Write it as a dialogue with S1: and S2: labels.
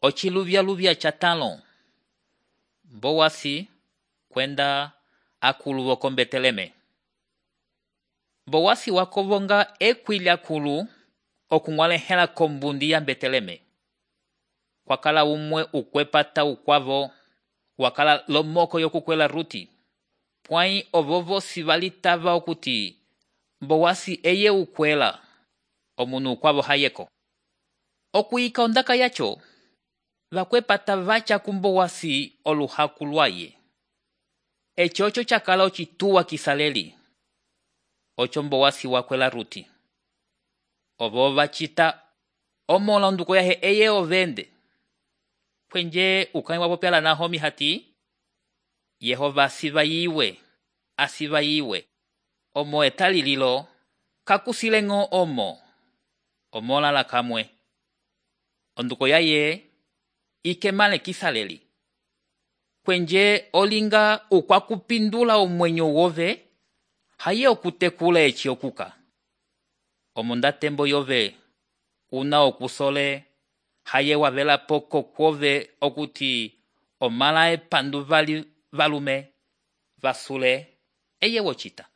S1: Ociluvya catalo. Boasi kwenda akulu woko Beteleme. Boasi wakovonga ekwili akulu okung'walehela kombundi ya Beteleme. Kwakala umwe ukwepata ukwavo, wakala lomoko yokukwela Ruti. Pwai ovovosi valitava okuti Boasi eye ukwela, omunu ukwavo hayeko. Okuyika ondaka yacho, vakwepata vacha kumboasi oluhaku lwaye. Echocho chakala ocituwa kisaleli. Ocho Boasi wakwela Ruti. Ovo vachita omola onduko yahe eye ovende. Kwenje ukani wapopyala Nahomi hati, Yehova asiva yiwe. Omo etali lilo, kakusilengo omo. Omola la kamwe. Onduko yaye, ikemale kisaleli. Kwenje olinga ukwakupindula omwenyo wove, haye okutekula echi okuka. Omonda tembo yove, una okusole, haye wavela poko kwove okuti omala epandu valume, vasule, eye wochita.